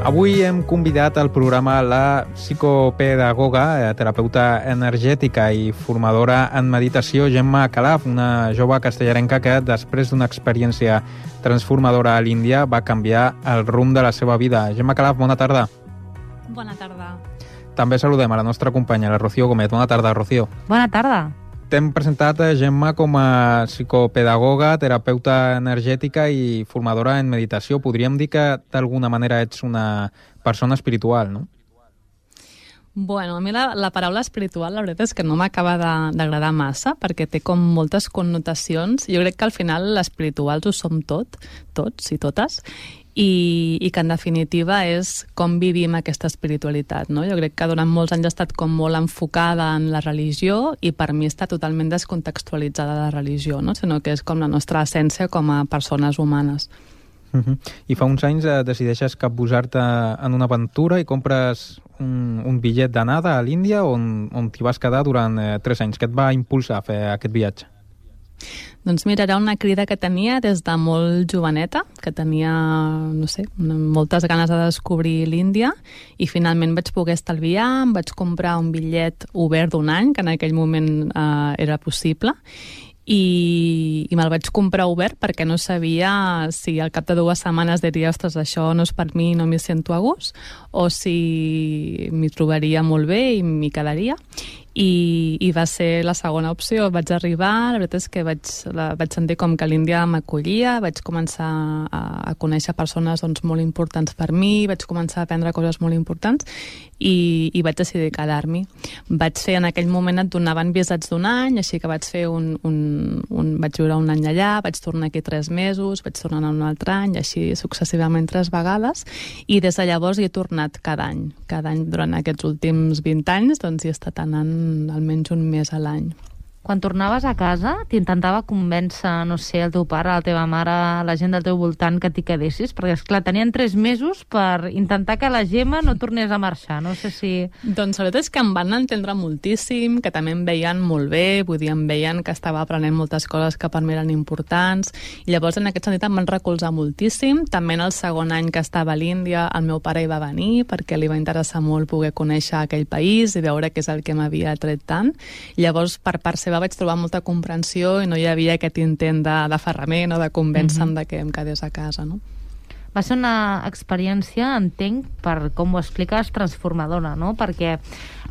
Avui hem convidat al programa la psicopedagoga, terapeuta energètica i formadora en meditació, Gemma Calaf, una jove castellarenca que després d'una experiència transformadora a l'Índia va canviar el rumb de la seva vida. Gemma Calaf, bona tarda. Bona tarda. També saludem a la nostra companya, la Rocío Gómez. Bona tarda, Rocío. Bona tarda. T'hem presentat, Gemma, com a psicopedagoga, terapeuta energètica i formadora en meditació. Podríem dir que d'alguna manera ets una persona espiritual, no? Bueno, a mi la paraula espiritual, la veritat és que no m'acaba d'agradar massa, perquè té com moltes connotacions. Jo crec que al final l'espirituals ho som tots i totes, i que en definitiva és com vivim aquesta espiritualitat, no? Jo crec que durant molts anys ha estat com molt enfocada en la religió i per mi està totalment descontextualitzada la religió, no? Sinó que és com la nostra essència com a persones humanes. I fa uns anys decideixes capbusar-te en una aventura i compres un bitllet d'anada a l'Índia on t'hi vas quedar durant 3 anys. Què et va impulsar a fer aquest viatge? Doncs mira, era una crida que tenia des de molt joveneta, que tenia, no sé, moltes ganes de descobrir l'Índia, i finalment vaig poder estalviar, em vaig comprar un bitllet obert d'1 any, que en aquell moment era possible, i me'l vaig comprar obert perquè no sabia si al cap de 2 setmanes diria, ostres, això no és per mi, no m'hi sento a gust, o si m'hi trobaria molt bé i m'hi quedaria. I va ser la segona opció. Vaig arribar, la veritat és que vaig sentir com que l'Índia m'acollia, vaig començar a conèixer persones molt importants per mi, vaig començar a aprendre coses molt importants i vaig decidir quedar-m'hi. Vaig fer, en aquell moment et donaven visats d'1 any, així que vaig fer vaig viure 1 any allà, vaig tornar aquí 3 mesos, vaig tornar un altre any, així successivament 3 vegades, i des de llavors hi he tornat cada any. Cada any durant aquests últims 20 anys doncs hi he estat anant almenys 1 mes a l'any. Quan tornaves a casa, t'intentava convèncer, no sé, el teu pare, la teva mare, la gent del teu voltant que t'hi quedessis? Perquè, esclar, tenien 3 mesos per intentar que la Gemma no tornés a marxar. No sé si... Doncs la veritat és que em van entendre moltíssim, que també em veien molt bé, vull dir, em veien que estava aprenent moltes coses que per mi eren importants, i llavors en aquest sentit em van recolzar moltíssim. També en el segon any que estava a l'Índia, el meu pare hi va venir, perquè li va interessar molt poder conèixer aquell país i veure què és el que m'havia tret tant. Llavors, per part seva, vaig trobar molta comprensió i no hi havia aquest intent d'aferrament o de convèncer-me de que em quedés a casa, no? Va ser una experiència, entenc, per com ho expliques, transformadora, no? Perquè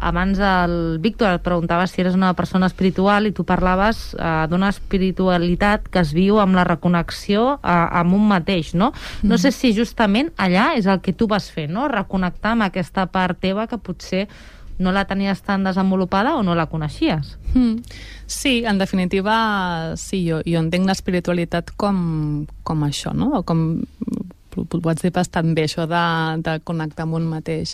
abans el Víctor et preguntava si eres una persona espiritual i tu parlaves d'una espiritualitat que es viu amb la reconnexió amb un mateix, no? No sé si justament allà és el que tu vas fer, no? Reconnectar amb aquesta part teva que potser no la tenies tan desenvolupada o no la coneixies. Sí, en definitiva, sí, jo entenc l'espiritualitat com això, no? O com ho pots dir bastant bé, això de connectar amb un mateix.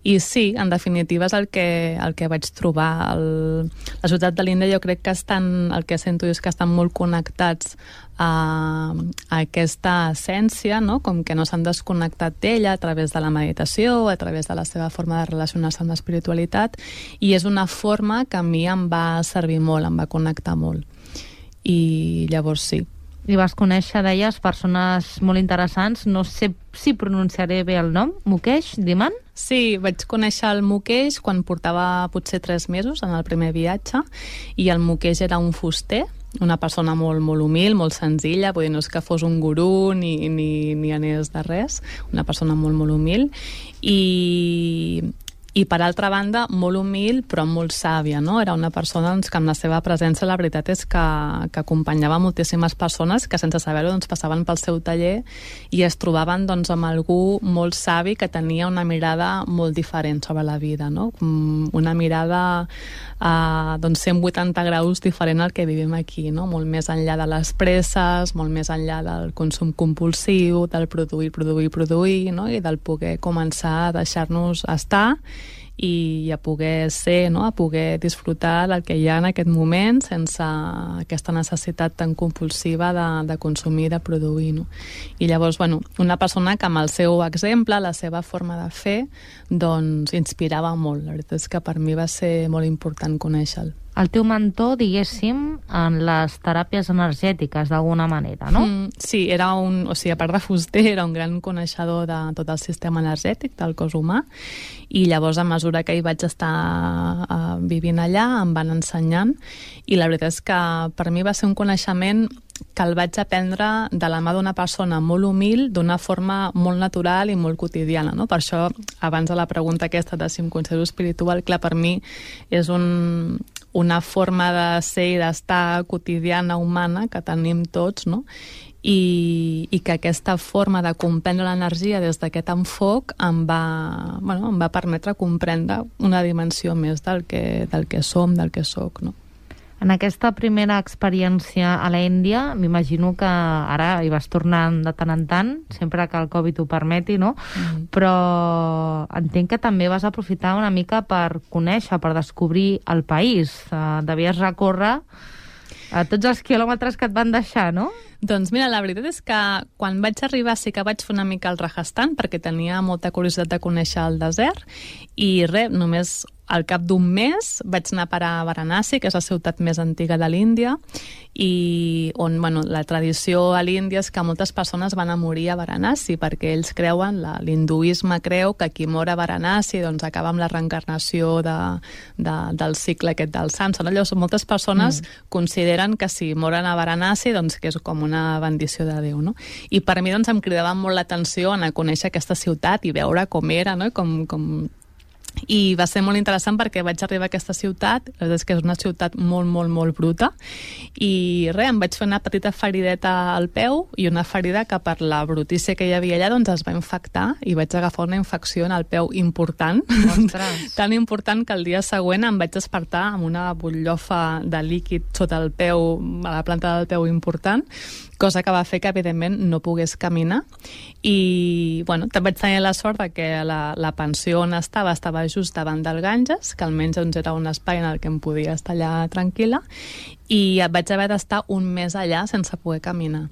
I sí, en definitiva és el que vaig trobar. La ciutat de l'Índia jo crec que el que sento és que estan molt connectats a aquesta essència, no? Com que no s'han desconnectat d'ella a través de la meditació, a través de la seva forma de relacionar-se amb l'espiritualitat, i és una forma que a mi em va servir molt, em va connectar molt. I llavors sí. I vas conèixer, deies, persones molt interessants. No sé si pronunciaré bé el nom. Mukesh Dhiman? Sí, vaig conèixer el Mukesh quan portava potser 3 mesos en el primer viatge, i el Mukesh era un fuster, una persona molt, molt humil, molt senzilla, vull dir, no és que fos un gurú ni anés de res, una persona molt, molt humil, i per altra banda molt humil però molt sàvia, no? Era una persona que amb la seva presència la veritat és que acompanyava moltíssimes persones que sense saber-ho passaven pel seu taller i es trobaven amb algú molt savi que tenia una mirada molt diferent sobre la vida, no? Una mirada 180 graus diferent al que vivim aquí, no? Molt més enllà de les presses, molt més enllà del consum compulsiu, del produir, no? I del poder començar a deixar-nos estar i a poder ser, no? A poder disfrutar del que hi ha en aquest moment sense aquesta necessitat tan compulsiva de consumir, de produir, no? I llavors, una persona que amb el seu exemple, la seva forma de fer, doncs inspirava molt. La veritat és que per mi va ser molt important conèixer-lo. el teu mentor, diguéssim, en les teràpies energètiques, d'alguna manera, no? Sí, a part de fuster, era un gran coneixedor de tot el sistema energètic del cos humà, i llavors, a mesura que hi vaig estar vivint allà, em van ensenyant, i la veritat és que per mi va ser un coneixement que el vaig aprendre de la mà d'una persona molt humil, d'una forma molt natural i molt quotidiana, no? Per això, abans de la pregunta aquesta de si em considero espiritual, clar, per mi és una forma de ser i d'estar quotidiana, humana, que tenim tots, no? I que aquesta forma de comprendre l'energia des d'aquest enfoc em va permetre comprendre una dimensió més del que som, del que soc, no? En aquesta primera experiència a l'Índia, m'imagino que ara hi vas tornant de tant en tant, sempre que el Covid ho permeti, no? Però entenc que també vas aprofitar una mica per conèixer, per descobrir el país. Devies recórrer tots els quilòmetres que et van deixar, no? Doncs mira, la veritat és que quan vaig arribar sí que vaig fer una mica el Rajasthan, perquè tenia molta curiositat de conèixer el desert, i només al cap d'un mes vaig anar a parar a Varanasi, que és la ciutat més antiga de l'Índia, i on la tradició a l'Índia és que moltes persones van a morir a Varanasi, perquè ells creuen, l'hinduisme creu que qui mor a Varanasi doncs acaba amb la reencarnació del cicle aquest del Samsara. Llavors, moltes persones consideren que si moren a Varanasi, doncs que és com una bendició de Déu, no? I per mi doncs em cridava molt l'atenció anar a conèixer aquesta ciutat i veure com era, no? I va ser molt interessant perquè vaig arribar a aquesta ciutat, la veritat és que és una ciutat molt, molt, molt bruta, i em vaig fer una petita ferideta al peu i una ferida que per la brutícia que hi havia allà doncs es va infectar i vaig agafar una infecció en el peu important. Ostres. Tan important que el dia següent em vaig despertar amb una butllofa de líquid sota el peu, a la planta del peu important, cosa que va fer que, evidentment, no pogués caminar. I, també vaig tenir la sort que la pensió on estava just davant del Ganges, que almenys era un espai en el que em podia estar allà tranquil·la, i vaig haver d'estar un mes allà sense poder caminar.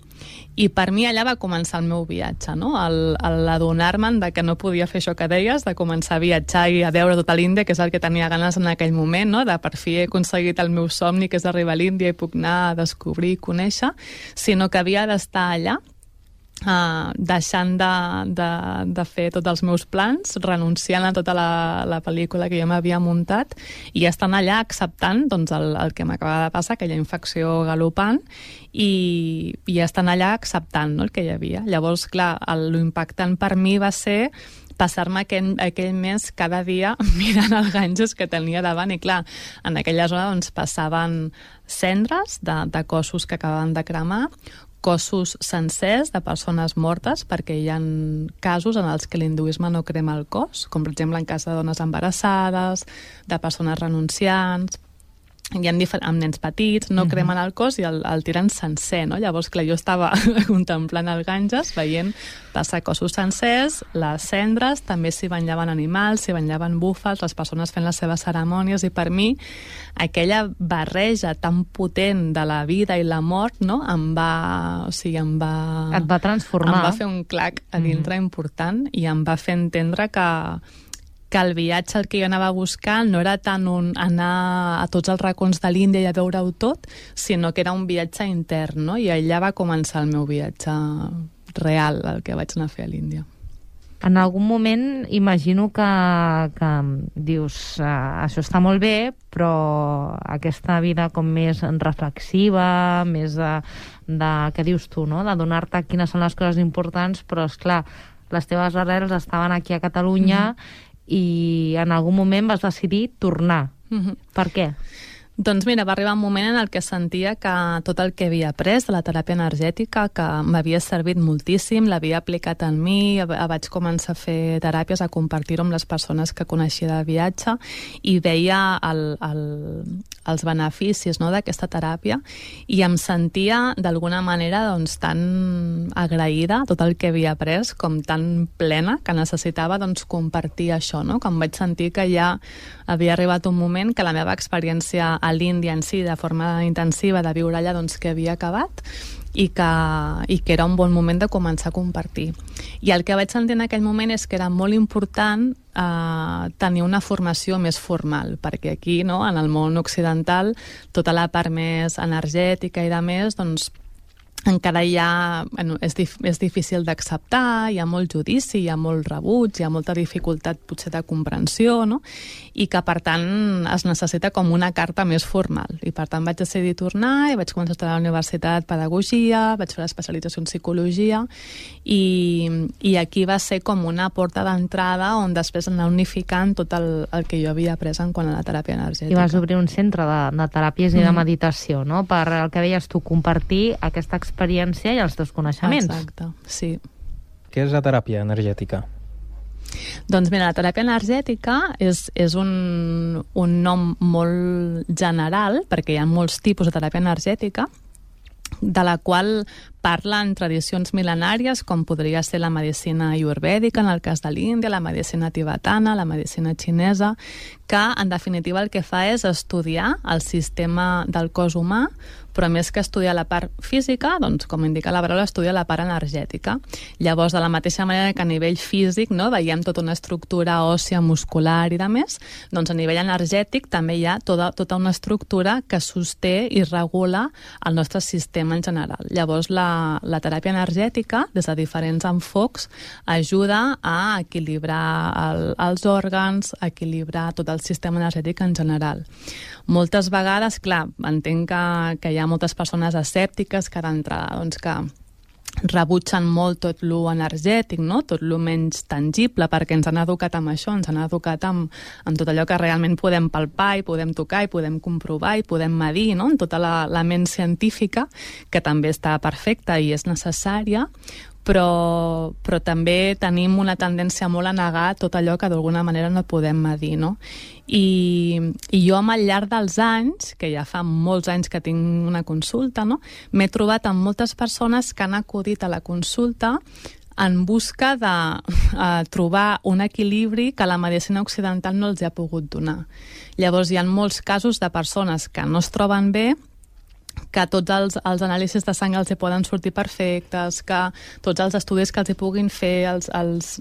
I per mi allà va començar el meu viatge, no? L'adonar-me'n de que no podia fer això que deies, de començar a viatjar i a veure tota l'Índia, que és el que tenia ganes en aquell moment, no? De per fi he aconseguit el meu somni, que és arribar a l'Índia i puc anar a descobrir i conèixer, sinó que havia d'estar allà, deixant de fer tots els meus plans, renunciant a tota la pel·lícula que jo m'havia muntat i estant allà acceptant el que m'acabava de passar, aquella infecció galopant, i estant allà acceptant el que hi havia. Llavors, clar, l'impactant per mi va ser passar-me aquell mes cada dia mirant el Ganges que tenia davant, i clar, en aquella zona passaven cendres de cossos que acabaven de cremar, cossos sencers de persones mortes, perquè hi ha casos en els que l'hinduisme no crema el cos, com per exemple en cas de dones embarassades, de persones renunciants, hi ha amb nens petits, no cremen el cos i el tiren sencer, no? Llavors, clar, jo estava contemplant el Ganges, veient passar cossos sencers, les cendres, també s'hi banyaven animals, s'hi banyaven búfals, les persones fent les seves cerimònies, i per mi aquella barreja tan potent de la vida i la mort, no? Et va transformar. Em va fer un clac a dintre important i em va fer entendre que el viatge el que jo anava a buscar no era tant anar a tots els racons de l'Índia i a veure-ho tot, sinó que era un viatge intern, no? I allà va començar el meu viatge real, el que vaig anar a fer a l'Índia. En algun moment imagino que dius, això està molt bé, però aquesta vida com més reflexiva, més de què dius tu, no? De donar-te quines són les coses importants, però, esclar, les teves arrels estaven aquí a Catalunya i en algun moment vas decidir tornar. Per què? Doncs mira, va arribar un moment en el que sentia que tot el que havia après de la teràpia energètica, que m'havia servit moltíssim, l'havia aplicat en mi, vaig començar a fer teràpies, a compartir-ho amb les persones que coneixia de viatge, i veia els beneficis, no, d'aquesta teràpia, i em sentia d'alguna manera tan agraïda a tot el que havia après, com tan plena, que necessitava compartir això, no? Com vaig sentir que ja havia arribat un moment que la meva experiència a l'Índia en si, de forma intensiva, de viure allà, que havia acabat i que era un bon moment de començar a compartir. I el que vaig sentir en aquell moment és que era molt important tenir una formació més formal, perquè aquí, no, en el món occidental, tota la part més energètica i de més, doncs, encara hi ha, bueno, és difícil d'acceptar, hi ha molt judici, hi ha molt rebuig, hi ha molta dificultat potser de comprensió, no? I que per tant es necessita com una carta més formal. I per tant vaig decidir tornar i vaig començar a estudiar a la universitat pedagogia, vaig fer l'especialització en psicologia i aquí va ser com una porta d'entrada on després anar unificant tot el que jo havia après en quant a la teràpia energètica. I vas obrir un centre de teràpies i de meditació, no? Per el que deies tu, compartir aquesta experiència i els teus coneixements. Exacte, sí. Què és la teràpia energètica? Doncs mira, la teràpia energètica és un nom molt general, perquè hi ha molts tipus de teràpia energètica, de la qual parlen tradicions mil·lenàries, com podria ser la medicina ayurvèdica, en el cas de l'Índia, la medicina tibetana, la medicina xinesa, que en definitiva el que fa és estudiar el sistema del cos humà, però més que estudiar la part física, doncs, com indica la paraula, estudia la part energètica. Llavors, de la mateixa manera que a nivell físic, no, veiem tota una estructura òssia, muscular i de més, doncs a nivell energètic també hi ha tota una estructura que sosté i regula el nostre sistema en general. Llavors, la teràpia energètica, des de diferents enfocs, ajuda a equilibrar els òrgans, a equilibrar tot el sistema energètic en general. Moltes vegades, clar, entenc que hi ha moltes persones escèptiques que d'entrada, doncs, que rebutgen molt tot lo energètic, no? Tot lo menys tangible, perquè ens han educat amb això, ens han educat amb tot allò que realment podem palpar i podem tocar i podem comprovar i podem medir, no? En tota la ment científica, que també està perfecta i és necessària, però també tenim una tendència molt a negar tot allò que d'alguna manera no podem medir, no? I jo al llarg dels anys, que ja fa molts anys que tinc una consulta, no? M'he trobat amb moltes persones que han acudit a la consulta en busca de trobar un equilibri que la medicina occidental no els ha pogut donar. Llavors hi ha molts casos de persones que no es troben bé, que tots els anàlisis de sang els hi poden sortir perfectes, que tots els estudis que els hi puguin fer,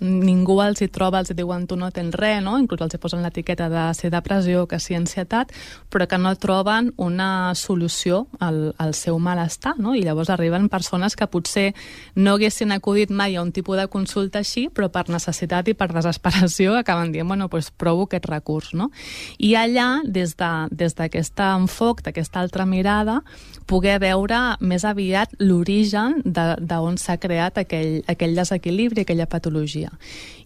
ningú els hi troba, els hi diuen tu no tens res, no? Inclús els hi posen l'etiqueta de ser depressió, que sí ansietat, però que no troben una solució al seu malestar, no? I llavors arriben persones que potser no haguessin acudit mai a un tipus de consulta així, però per necessitat i per desesperació acaben dient, bueno, doncs provo aquest recurs, no? I allà, des d'aquest enfoc, d'aquesta altra mirada, poder veure més aviat l'origen d'on s'ha creat aquell desequilibri, aquella patologia.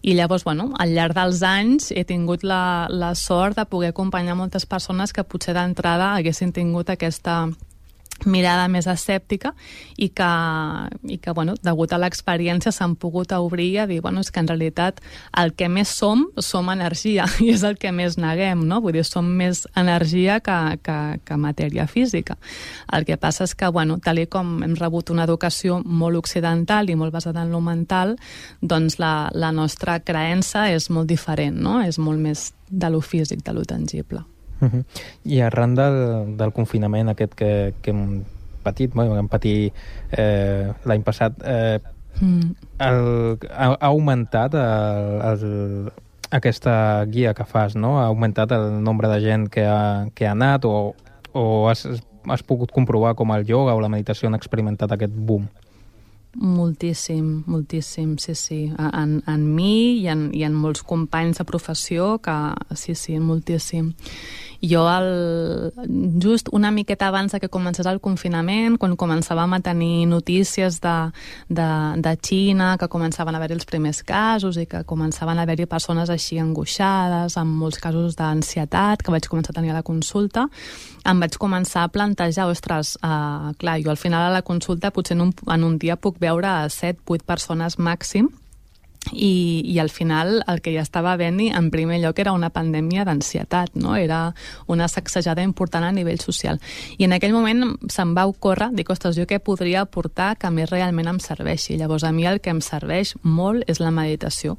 I llavors, bueno, al llarg dels anys he tingut la sort de poder acompanyar moltes persones que potser d'entrada haguessin tingut aquesta mirada més escèptica i que bueno, degut a l'experiència s'han pogut obrir a dir, bueno, és que en realitat el que més som energia i és el que més neguem, no? Vull dir, som més energia que matèria física. El que passa és que, bueno, tal com hem rebut una educació molt occidental i molt basada en lo mental, doncs la nostra creença és molt diferent, no? És molt més de lo físic, de lo tangible. I arran del confinament aquest que hem patit, vam patir l'any passat, ha augmentat aquesta guia que fas, no? Ha augmentat el nombre de gent que ha anat o has pogut comprovar com el ioga o la meditació han experimentat aquest boom? Moltíssim, sí. En mi i en molts companys de professió que sí, moltíssim. Jo, just una miqueta abans que comencés el confinament, quan començàvem a tenir notícies de Xina, que començaven a haver-hi els primers casos i que començaven a haver-hi persones així angoixades, amb molts casos d'ansietat, que vaig començar a tenir a la consulta, em vaig començar a plantejar, ostres, clar, jo al final a la consulta potser en un dia puc veure 7-8 persones màxim, i al final el que ja estava havent en primer lloc era una pandèmia d'ansietat, no? Era una sacsejada important a nivell social. I en aquell moment se'm va ocórrer, dic, ostres, jo què podria aportar que a mi realment em serveixi? Llavors a mi el que em serveix molt és la meditació.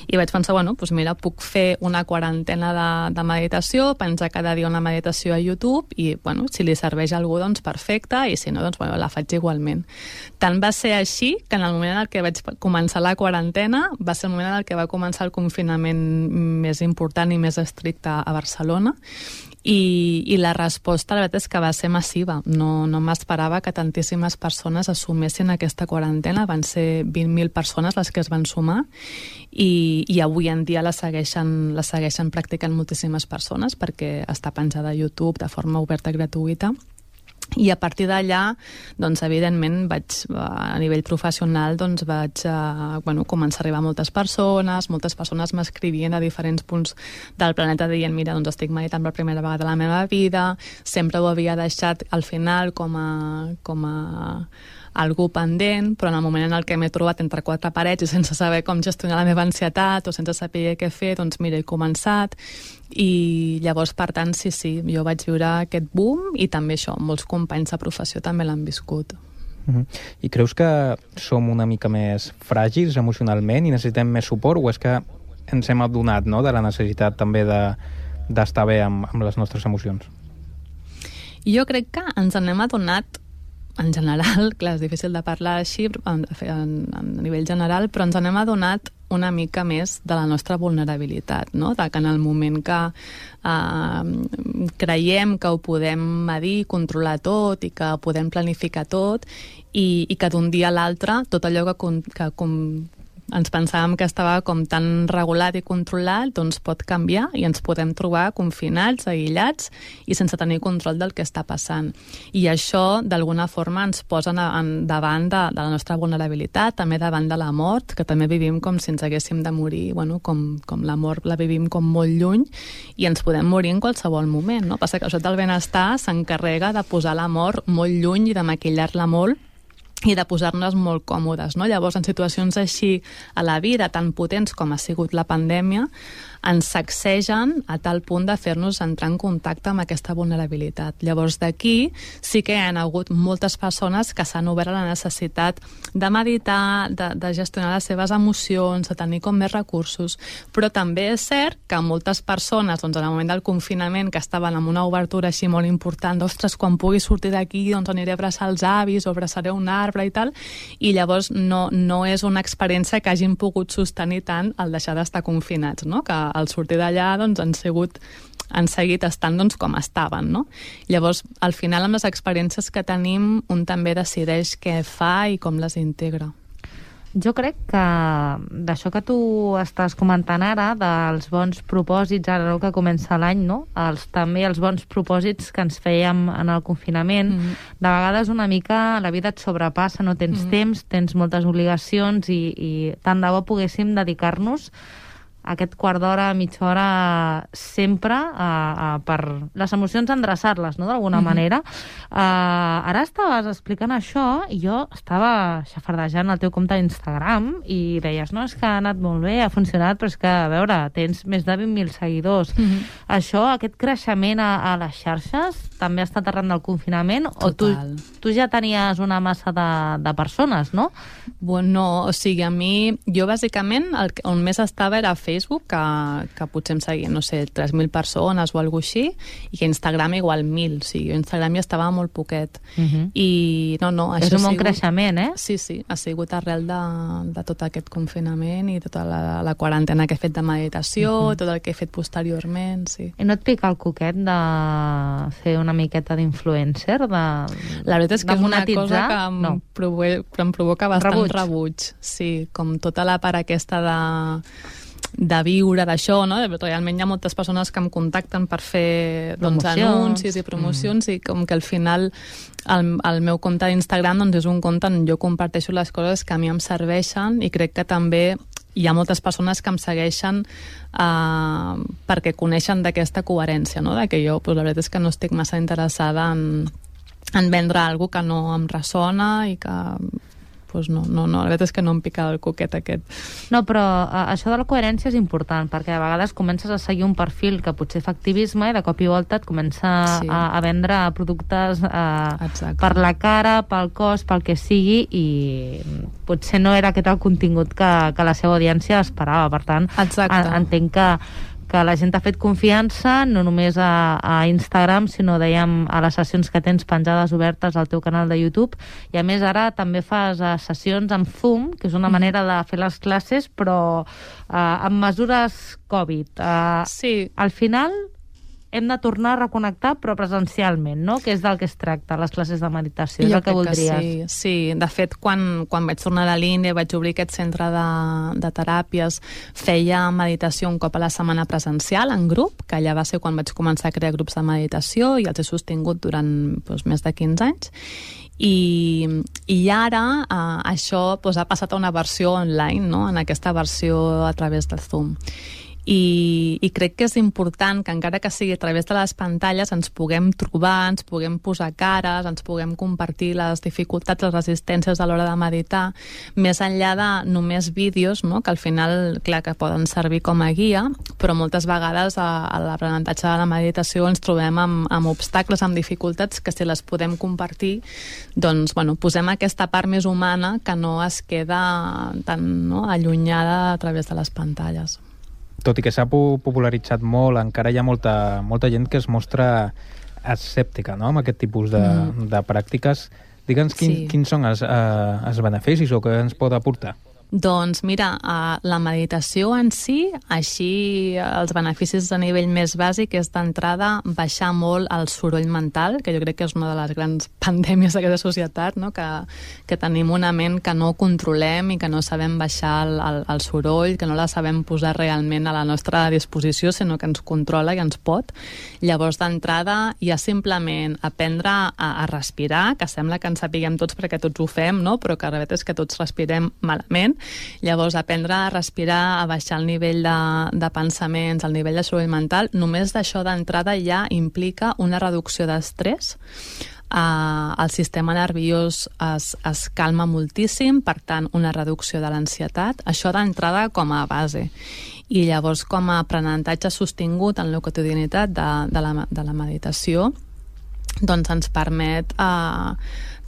I vaig pensar, bueno, doncs mira, puc fer una quarantena de meditació, penjar cada dia una meditació a YouTube i, bueno, si li serveix a algú, doncs perfecte, i si no, doncs bueno, la faig igualment. Tant va ser així que en el moment en què vaig començar la quarantena pandèmia va ser el moment en el que va començar el confinament més important i més estricte a Barcelona, i la resposta, la veritat, és que va ser massiva. No m'esperava que tantíssimes persones assumessin aquesta quarantena. Van ser 20.000 persones les que es van sumar, i avui en dia la segueixen practicant moltíssimes persones, perquè està penjada a YouTube de forma oberta i gratuïta. I a partir d'allà, doncs, evidentment, a nivell professional, doncs, vaig començar a arribar a moltes persones m'escrivien a diferents punts del planeta dient, mira, doncs estic meditant per primera vegada a la meva vida, sempre ho havia deixat al final com a algú pendent, però en el moment en el que m'he trobat entre quatre parets i sense saber com gestionar la meva ansietat o sense saber què fer, doncs mira, he començat. I llavors, per tant, sí, jo vaig viure aquest boom, i també això, molts companys de professió també l'han viscut. I creus que som una mica més fràgils emocionalment i necessitem més suport, o és que ens hem adonat, no?, de la necessitat també d'estar bé amb les nostres emocions? Jo crec que ens n'hem adonat en general, clar, és difícil de parlar així a nivell general, però ens n'hem adonat una mica més de la nostra vulnerabilitat, no? De que en el moment que creiem que ho podem medir, controlar tot, i que podem planificar tot, i que d'un dia a l'altre tot allò que ens pensàvem que estava com tan regulat i controlat, doncs pot canviar i ens podem trobar confinats, aïllats i sense tenir control del que està passant. I això, d'alguna forma, ens posa davant de la nostra vulnerabilitat, també davant de la mort, que també vivim com si ens haguéssim de morir, com la mort la vivim com molt lluny, i ens podem morir en qualsevol moment, no? Passa que això del benestar s'encarrega de posar la mort molt lluny i de maquillar-la molt, i de posar-nos molt còmodes, no? Llavors, en situacions així a la vida, tan potents com ha sigut la pandèmia, ens sacsegen a tal punt de fer-nos entrar en contacte amb aquesta vulnerabilitat. Llavors, d'aquí sí que hi ha hagut moltes persones que s'han obert a la necessitat de meditar, de gestionar les seves emocions, de tenir com més recursos, però també és cert que moltes persones, doncs, en el moment del confinament, que estaven amb una obertura així molt important, d'ostres, quan pugui sortir d'aquí, doncs aniré a abraçar els avis o abraçaré un arbre i tal, i llavors no és una experiència que hagin pogut sostenir tant el deixar d'estar confinats, no? Que al sortir d'allà, doncs, han seguit estant, doncs, com estaven, no? Llavors, al final, amb les experiències que tenim, un també decideix què fa i com les integra. Jo crec que d'això que tu estàs comentant ara, dels bons propòsits, ara que comença l'any, no? També els bons propòsits que ens fèiem en el confinament, de vegades una mica la vida et sobrepassa, no tens temps, tens moltes obligacions, i tant de bo poguéssim dedicar-nos aquest quart d'hora, mitja hora, sempre per les emocions endreçar-les, no?, d'alguna manera. Ara estaves explicant això i jo estava xafardejant el teu compte d'Instagram i deies, no, és que ha anat molt bé, ha funcionat, però és que, a veure, tens més de 20.000 seguidors. Això, aquest creixement a les xarxes, també ha estat arran del confinament? Total. O tu ja tenies una massa de persones, no? No, o sigui, a mi, jo bàsicament on més estava era a Facebook, que potser em seguien, no sé, 3.000 persones o alguna cosa així, i que Instagram igual 1.000, o sigui, Instagram ja estava molt poquet. I no, això és un bon creixement, eh? Sí, ha sigut arrel de tot aquest confinament i tota la quarantena que he fet de meditació, tot el que he fet posteriorment, sí. I no et pica el coquet de fer una miqueta d'influencer? La veritat és que és una cosa que em provoca bastant rebuig. Sí, com tota la part aquesta de viure d'això, no? Realment hi ha moltes persones que em contacten per fer anuncis i promocions, i com que al final el meu compte d'Instagram és un compte on jo comparteixo les coses que a mi em serveixen, i crec que també hi ha moltes persones que em segueixen perquè coneixen d'aquesta coherència, no? De que jo, la veritat és que no estic massa interessada en vendre alguna que no em ressona i que no, la veritat és que no em pica el coquet aquest. No, però això de la coherència és important, perquè a vegades comences a seguir un perfil que potser fa activisme i de cop i volta et comença a vendre productes per la cara, pel cos, pel que sigui, i potser no era aquest el contingut que la seva audiència esperava. Per tant, entenc que que la gent ha fet confiança, no només a Instagram, sinó, dèiem, a les sessions que tens penjades obertes al teu canal de YouTube, i a més ara també fas sessions amb Zoom, que és una manera de fer les classes, però amb mesures Covid. Sí. Al final hem de tornar a reconnectar, però presencialment, no? Que és del que es tracta, les classes de meditació, és el que voldries. Sí. De fet, quan vaig tornar a l'Índia, vaig obrir aquest centre de teràpies, feia meditació un cop a la setmana presencial, en grup, que allà va ser quan vaig començar a crear grups de meditació i els he sostingut durant més de 15 anys. I ara això ha passat a una versió online, no? En aquesta versió a través de Zoom. I crec que és important que, encara que sigui a través de les pantalles, ens puguem trobar, ens puguem posar cares, ens puguem compartir les dificultats, les resistències a l'hora de meditar, més enllà de només vídeos, no? Que al final, clar, que poden servir com a guia, però moltes vegades a l'aprenentatge de la meditació ens trobem amb obstacles, amb dificultats, que si les podem compartir, doncs, posem aquesta part més humana que no es queda tan allunyada a través de les pantalles. Tot i que s'ha popularitzat molt, encara hi ha molta gent que es mostra escèptica, no?, amb aquest tipus de pràctiques. Digue'ns quins són els beneficis o què ens pot aportar. Doncs mira, la meditació en si, així els beneficis a nivell més bàsic és d'entrada baixar molt el soroll mental, que jo crec que és una de les grans pandèmies d'aquesta societat, no? Que tenim una ment que no controlem i que no sabem baixar el soroll, que no la sabem posar realment a la nostra disposició, sinó que ens controla i ens pot. Llavors, d'entrada, ja simplement aprendre a respirar, que sembla que en sapiguem tots perquè tots ho fem, no? Però que la veritat és que tots respirem malament. Llavors, aprendre a respirar, a baixar el nivell de pensaments, el nivell de soroll mental, només d'això d'entrada ja implica una reducció d'estrès. El sistema nerviós es calma moltíssim, per tant, una reducció de l'ansietat. Això d'entrada com a base. I llavors, com a aprenentatge sostingut en la quotidianitat de la meditació, doncs ens permet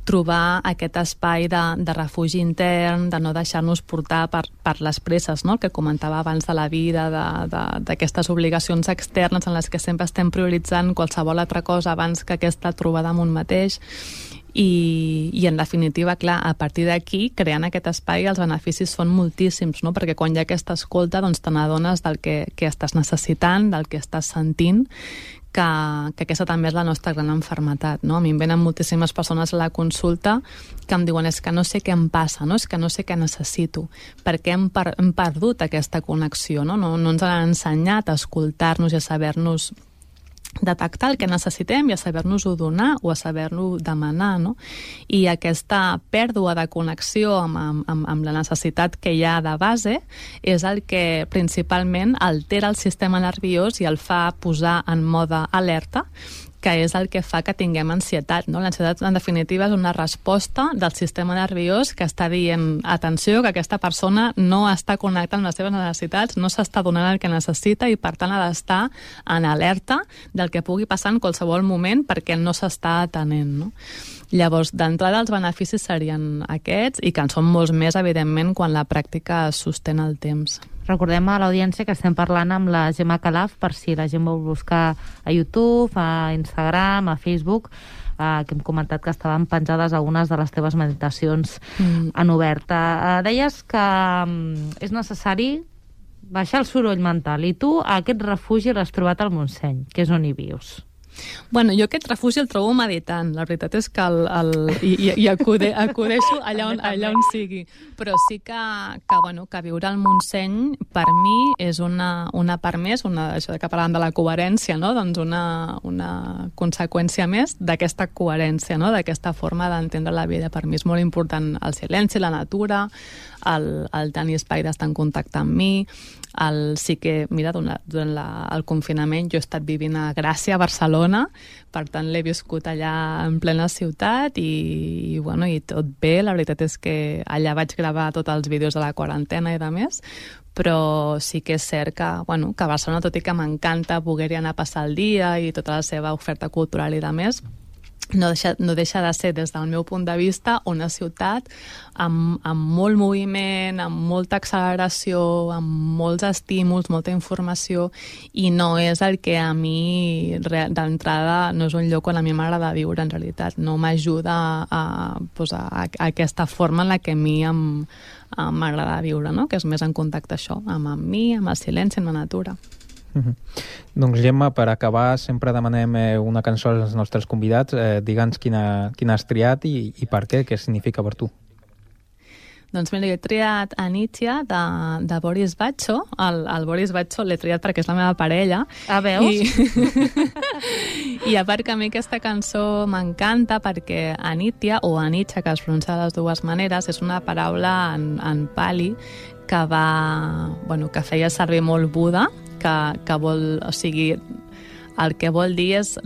trobar aquest espai de refugi intern, de no deixar-nos portar per les presses, no? El que comentava abans de la vida, d'aquestes obligacions externes en les que sempre estem prioritzant qualsevol altra cosa abans que aquesta trobada amb un mateix. I en definitiva, clar, a partir d'aquí, creant aquest espai, els beneficis són moltíssims, no? Perquè quan hi ha aquesta escolta, doncs te n'adones del que estàs necessitant, del que estàs sentint, que aquesta també és la nostra gran malaltia, no? A mi em venen moltíssimes persones a la consulta que em diuen és que no sé què em passa, no? És que no sé què necessito, perquè hem perdut aquesta connexió, no? No ens han ensenyat a escoltar-nos i a saber-nos detectar el que necessitem i a saber-nos-ho donar o a saber-lo demanar, no? I aquesta pèrdua de connexió amb la necessitat que hi ha de base és el que principalment altera el sistema nerviós i el fa posar en mode alerta, que és el que fa que tinguem ansietat, no? L'ansietat, en definitiva, és una resposta del sistema nerviós que està dient, atenció, que aquesta persona no està connectant amb les seves necessitats, no s'està donant el que necessita i, per tant, ha d'estar en alerta del que pugui passar en qualsevol moment perquè no s'està atenent, no? Llavors, d'entrada, els beneficis serien aquests i que en són molts més, evidentment, quan la pràctica es sostén el temps. Recordem a l'audiència que estem parlant amb la Gemma Calaf, per si la gent vol buscar a YouTube, a Instagram, a Facebook, que hem comentat que estaven penjades algunes de les teves meditacions en oberta. Deies que és necessari baixar el soroll mental, i tu aquest refugi l'has trobat al Montseny, que és on hi vius. Bueno, jo aquest refugi el trobo meditant. La veritat és que acudeixo allà on sigui. Però sí que viure al Montseny per mi és una part més, això que parlàvem de la coherència, no? Doncs una conseqüència més d'aquesta coherència, no? D'aquesta forma d'entendre la vida. Per mi és molt important el silenci, la natura, el tenir espai d'estar en contacte amb mi. Sí que, mira, durant el confinament jo he estat vivint a Gràcia, a Barcelona, per tant l'he viscut allà en plena ciutat i tot bé. La veritat és que allà vaig gravar tots els vídeos de la quarantena i de més, però sí que és cert que a Barcelona, tot i que m'encanta poder-hi anar a passar el dia i tota la seva oferta cultural i de més, no deixa de ser, des del meu punt de vista, una ciutat amb molt moviment, amb molta acceleració, amb molts estímuls, molta informació, i no és el que a mi d'entrada no és un lloc on a mi m'agrada viure, en realitat. No m'ajuda a aquesta forma en la que a mi m'agrada viure, no? Que és més en contacte això, amb mi, amb el silenci, amb la natura. Doncs Gemma, per acabar sempre demanem una cançó als nostres convidats. Digue'ns quina has triat i per què significa per tu. Doncs mira, jo he triat Anitia de Boris Bacho. El Boris Bacho l'he triat perquè és la meva parella. Veus? I a part que a mi aquesta cançó m'encanta perquè Anitia, o Anitxa, que es pronuncia de les dues maneres, és una paraula en pali que feia servir molt Buda, que vol, o sigui, el que vol dir és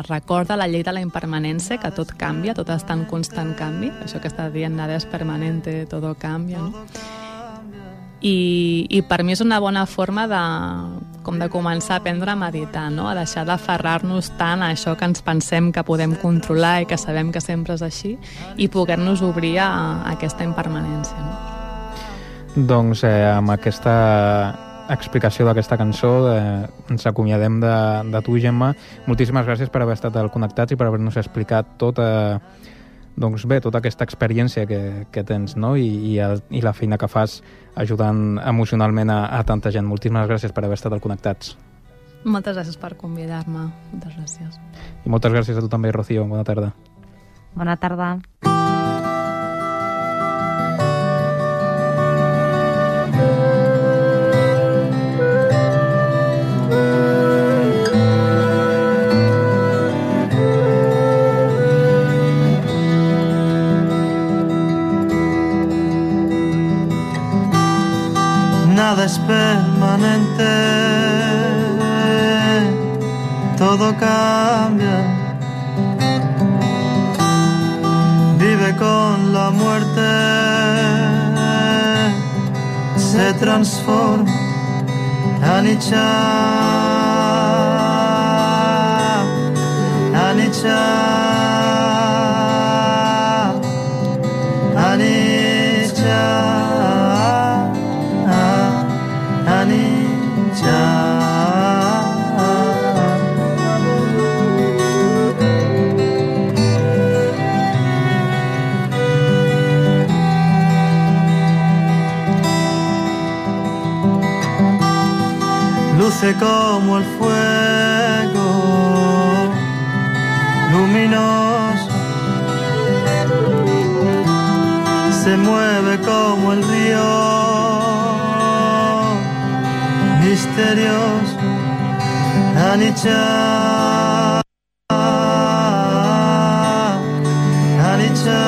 recorda la llei de la impermanència, que tot canvia, tot està en constant canvi, això que està dient nada és permanente, todo cambia, no? I per mi és una bona forma de començar a aprendre a meditar, no? A deixar d'aferrar-nos tant a això que ens pensem que podem controlar i que sabem que sempre és així, i poder-nos obrir a aquesta impermanència, no? Doncs amb aquesta explicació d'aquesta cançó ens acomiadem de tu, Gemma. Moltíssimes gràcies per haver estat al Connectats i per haver-nos explicat tota aquesta experiència que tens, no? I la feina que fas ajudant emocionalment a tanta gent. Moltíssimes gràcies per haver estat al Connectats. Moltes gràcies per convidar-me. Moltes gràcies. I moltes gràcies a tu també, Rocío. Bona tarda. Bona tarda. Nada es permanente, todo cambia. Vive con la muerte, se transforma. Anicca, Anicca, Anicca. Luce como el fuego, luminoso, se mueve como el río, misterioso. Anicca, Anicca,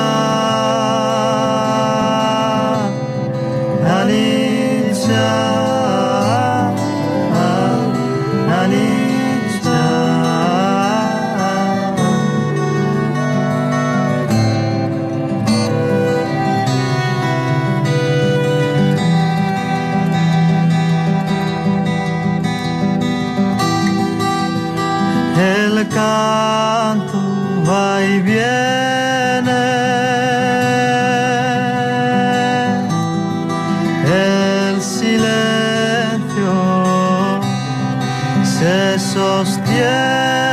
Anicca. El canto va y viene, el silencio se sostiene.